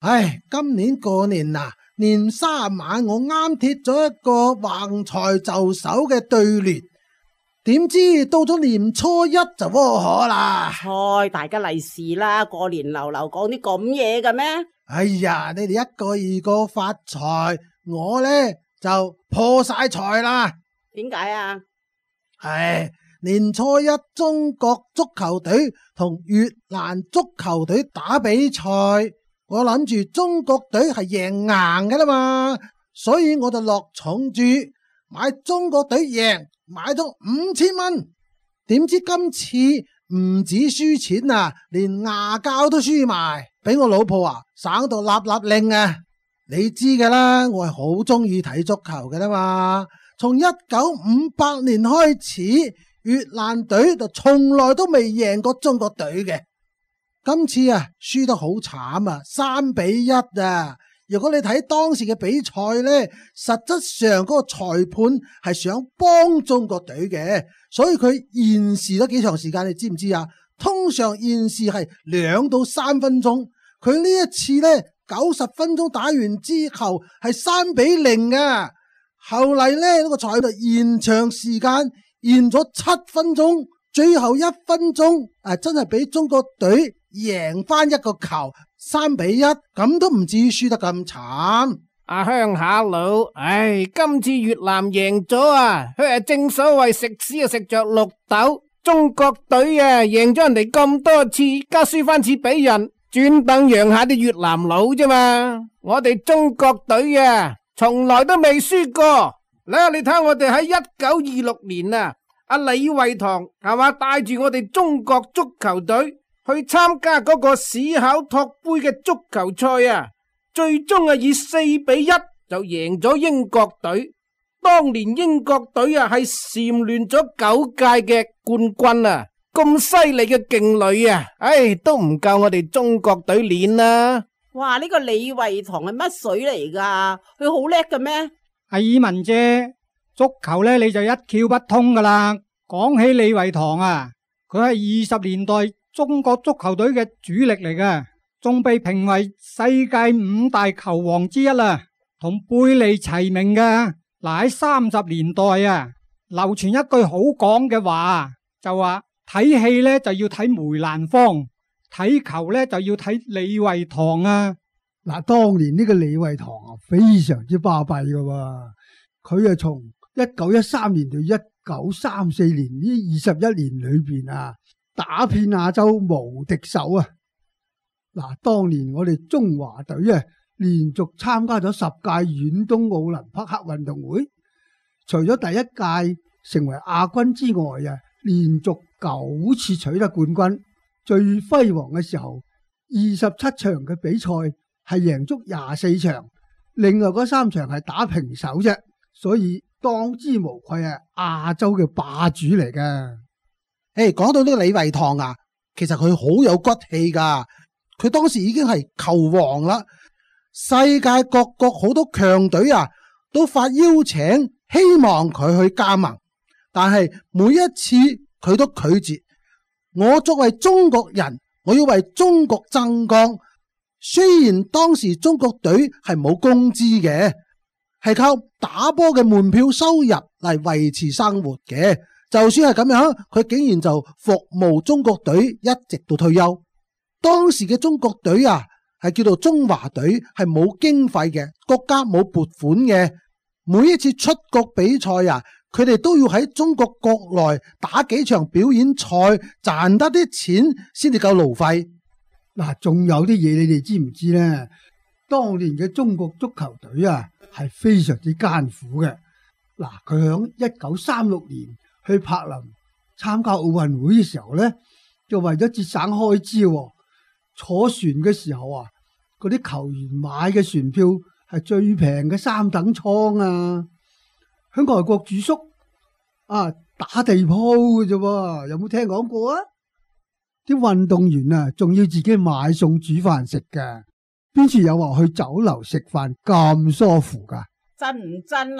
唉，今年過年嗱，年三晚我啱貼咗一個橫財就手嘅對聯，點知到咗年初一就窩火啦。開大家利是啦，過年流流講啲咁嘢嘅咩？哎呀，你哋一個二個發財，我呢就破晒財啦。點解啊？唉，年初一中國足球隊同越南足球隊打比賽，我諗住中國隊係贏硬㗎啦嘛，所以我就落重注買中國隊贏，買咗5000蚊。點知今次唔止輸錢啊，連牙膠都輸埋，俾我老婆省到立立令啊！你知㗎啦，我係好中意睇足球㗎啦嘛。從1958年開始，越南隊就從來都未贏過中國隊嘅。今次輸得好慘啊，3-1啊！如果你睇當時嘅比賽呢，實質上嗰個裁判係想幫中國隊嘅，所以佢延時咗幾長時間，你知唔知啊？通常延時係2到3分鐘，佢呢一次呢90分鐘打完之後係3-0啊！後嚟呢個裁判延長時間，延咗7分鐘，最後1分鐘真係俾中國隊贏翻一個球，3-1，咁都唔至於輸得咁慘。阿鄉下佬，今次越南贏咗啊！佢正所謂食屎啊食着綠豆，中國隊贏咗人哋咁多次，加輸翻次俾人，專登讓下啲越南佬啫嘛。我哋中國隊從來都未輸過。你睇下我哋喺1926年阿李惠堂係嘛，帶住我哋中國足球隊去參加嗰個史考托杯嘅足球賽最終以4-1就贏咗英國隊。當年英國隊係蟬聯咗9屆嘅冠軍咁犀利嘅勁旅都唔夠我哋中國隊練啦。哇！呢個李惠堂係乜水嚟噶？佢好叻嘅咩？阿爾文姐，足球呢你就一竅不通噶啦。講起李惠堂佢係20年代中國足球隊嘅主力嚟嘅，仲被評為世界5大球王之一啦，同貝利齊名嘅。喺30年代流傳一句好講嘅話，就話睇戲呢就要睇梅蘭芳，睇球呢就要睇李惠堂嗱，當年呢個李惠堂非常之巴閉噶，佢從1913年到1934年呢21年裏邊打遍亞洲無敵手嗱，當年我哋中華隊連續參加咗10屆遠東奧林匹克運動會，除咗第一屆成為亞軍之外連續9次取得冠軍。最輝煌嘅時候，27場嘅比賽係贏足24場，另外嗰3場係打平手啫，所以當之無愧亞洲嘅霸主嚟㗎。講到呢個李惠堂其實佢好有骨氣噶，佢當時已經係球王啦。世界各國好多強隊都發邀請，希望佢去加盟，但係每一次佢都拒絕。我作為中國人，我要為中國爭光。雖然當時中國隊係冇工資嘅，係靠打波嘅門票收入嚟維持生活嘅。就算係咁樣，佢竟然就服務中國隊一直到退休。當時嘅中國隊係叫做中華隊，係冇經費嘅，國家冇撥款嘅。每一次出國比賽佢哋都要喺中國國內打幾場表演賽，賺得啲錢先至夠路費。嗱，仲有啲嘢你哋知唔知呢？當年嘅中國足球隊係非常之艱苦嘅。嗱，佢響1936年去柏林參加奧運會嘅時候呢，就為咗節省開支，坐船嘅時候嗰啲球員買嘅船票係最平嘅3等艙喺外國住宿打地鋪嘅啫，有冇聽講過啲運動員仲要自己買餸煮飯食㗎，邊處有話去酒樓食飯咁舒服噶？真唔真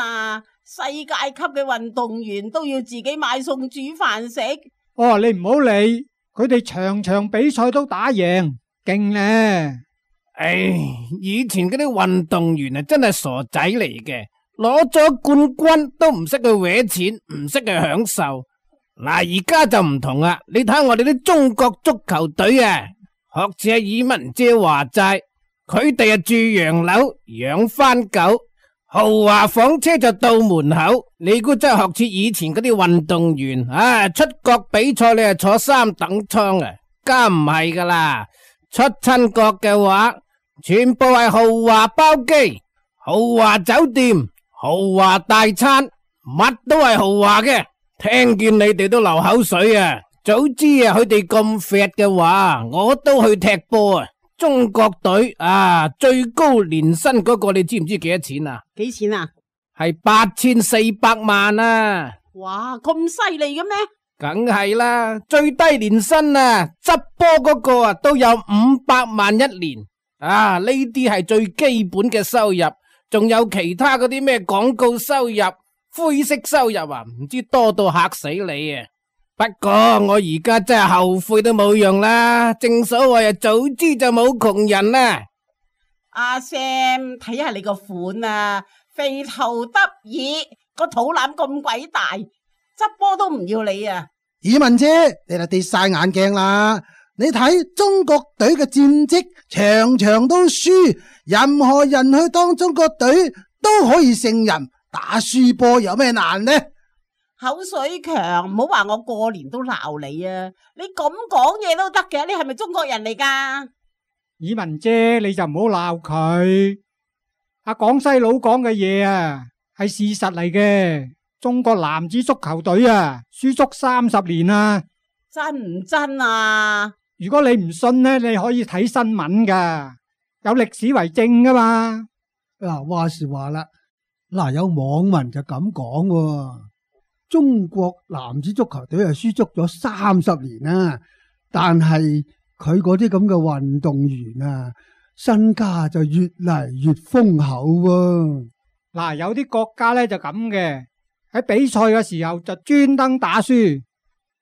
世界級嘅運動員都要自己買餸煮飯食？你唔好理，佢哋場場比賽都打贏，勁呢！唉，以前嗰啲運動員啊，真係傻仔嚟嘅，攞咗冠軍都唔識去搲錢，唔識去享受。嗱，而家就唔同啦，你睇我哋啲中國足球隊啊，學似阿爾文姐話齋，佢哋啊住洋樓，養番狗，豪華房車就到門口。你估真係學似以前嗰啲運動員啊？出國比賽你係坐三等艙啊？家唔係噶啦，出親國嘅話，全部係豪華包機、豪華酒店、豪華大餐，乜都係豪華嘅。聽見你哋都流口水啊！早知啊，佢哋咁 fat 嘅話，我都去踢波啊！中國隊啊，最高年薪嗰個你知唔知幾多錢啊？幾錢啊？係8400萬啊！哇，咁犀利嘅咩？梗係啦，最低年薪啊，執波嗰個啊都有500萬一年啊！呢啲係最基本嘅收入，仲有其他嗰啲咩廣告收入、灰色收入啊，唔知多到嚇死你啊！不過我而家真係後悔都冇用啦，正所謂啊，早知就冇窮人啦。阿 Sam， 睇下你個款啊，肥頭得意，個肚腩咁鬼大，執波都唔要你啊！爾文姐，你就跌晒眼鏡啦！你睇中國隊嘅戰績，場場都輸，任何人去當中國隊都可以勝人，打輸波有咩難呢？口水強，唔好話我過年都鬧你啊！你咁講嘢都得嘅，你係咪中國人嚟噶？爾文姐，你就唔好鬧佢。阿廣西佬講嘅嘢啊，係事實嚟嘅。中國男子足球隊啊，輸足30年啦。真唔真啊？如果你唔信呢，你可以睇新聞噶，有歷史為證噶嘛。嗱，話時話啦，嗱，有網民就咁講喎，中國男子足球隊係輸足咗30年啦，但係佢嗰啲咁嘅運動員啊，身家就越嚟越豐厚喎。嗱，有啲國家呢就咁嘅，喺比賽嘅時候就專登打輸，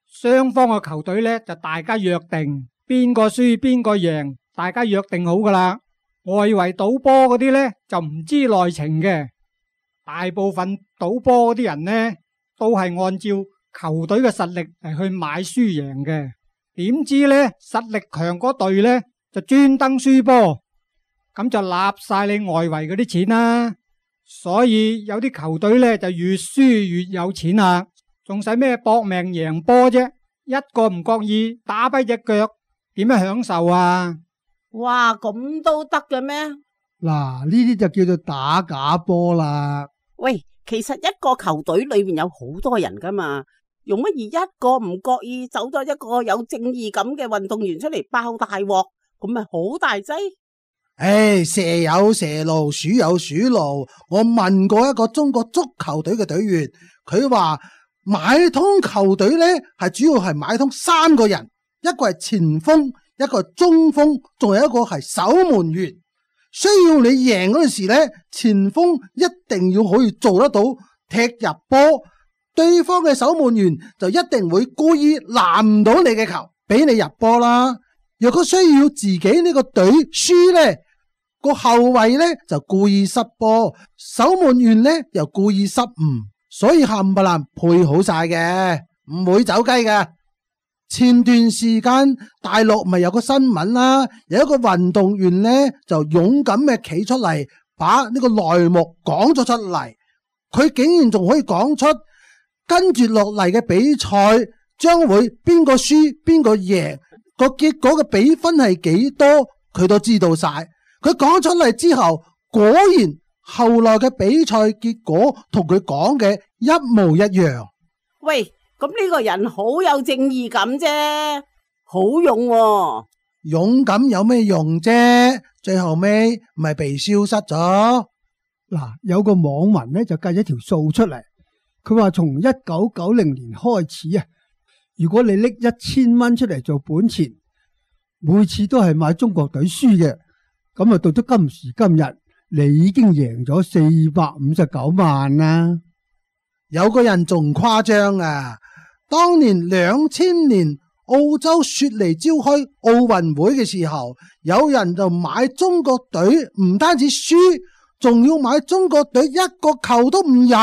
雙方嘅球隊呢就大家約定邊個輸邊個贏，大家約定好噶啦。外圍賭波嗰啲呢就唔知內情嘅，大部分賭波嗰啲人呢都係按照球隊嘅實力嚟去買輸贏嘅。點知呢實力強嗰隊呢就專登輸波，咁就納晒你外圍嗰啲錢啦。所以有啲球隊呢就越輸越有錢啦，仲使咩搏命贏波啫？一個唔覺意打跛隻腳，點樣享受啊？哇，咁都得嘅咩？嗱，呢啲就叫做打假波啦。喂，其實一個球隊裏面有好多人噶嘛，用乜而一個唔覺意走咗一個有正義感嘅運動員出嚟爆大鑊，咁咪好大劑？唉，蛇有蛇路，鼠有鼠路。我問過一個中國足球隊嘅隊員，佢話買通球隊呢係主要係買通3個人，一個係前鋒，一個係中鋒，仲有一個係守門員。需要你贏嗰陣時呢，前鋒一定要可以做得到踢入波，對方嘅守門員就一定會故意攔唔到你嘅球，俾你入波啦。若果需要自己呢個隊輸呢，個後衛呢就故意失波，守門員呢又故意失誤，所以冚唪唥配好晒嘅，唔會走雞嘅。前段時間大陸咪有個新聞啦，有一個運動員呢就勇敢嘅企出嚟，把呢個內幕講咗出嚟，佢竟然仲可以講出跟住落嚟嘅比賽將會邊個輸邊個贏，個結果嘅比分係幾多，佢都知道晒。佢講出嚟之後，果然後來嘅比賽結果同佢講嘅一模一樣。喂，咁呢個人好有正義感啫，好勇喎。勇敢有咩用啫？最後尾咪被消失咗。嗱，有個網民呢就計咗條數出嚟，佢話從1990年開始啊，如果你拎1000蚊出嚟做本錢，每次都係買中國隊輸嘅，咁啊到咗今時今日，你已經贏咗459萬啦。有個人仲誇張啊！當年2000年澳洲雪梨召開奧運會嘅時候，有人就買中國隊，唔單止輸，仲要買中國隊一個球都唔入。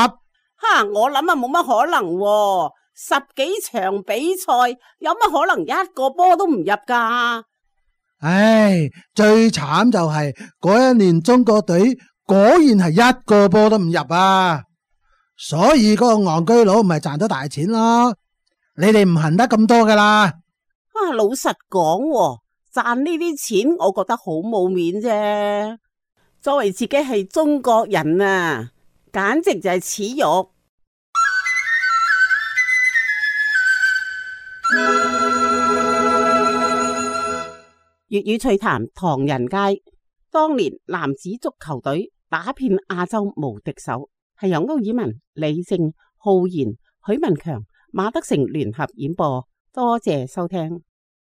我諗啊冇乜可能喎，10幾場比賽有乜可能一個波都唔入噶？唉，最慘就係嗰一年中國隊果然係一個波都唔入啊！所以嗰個戇居佬咪賺到大錢咯。你哋唔恨得咁多噶啦。老實講喎，賺呢啲錢我覺得好冇面啫。作為自己係中國人啊，簡直就係恥辱。粵語趣談唐人街，當年男子足球隊打遍亞洲無敵手，係由歐爾文、李靜、浩然、許文強、馬德成聯合演播。多謝收聽。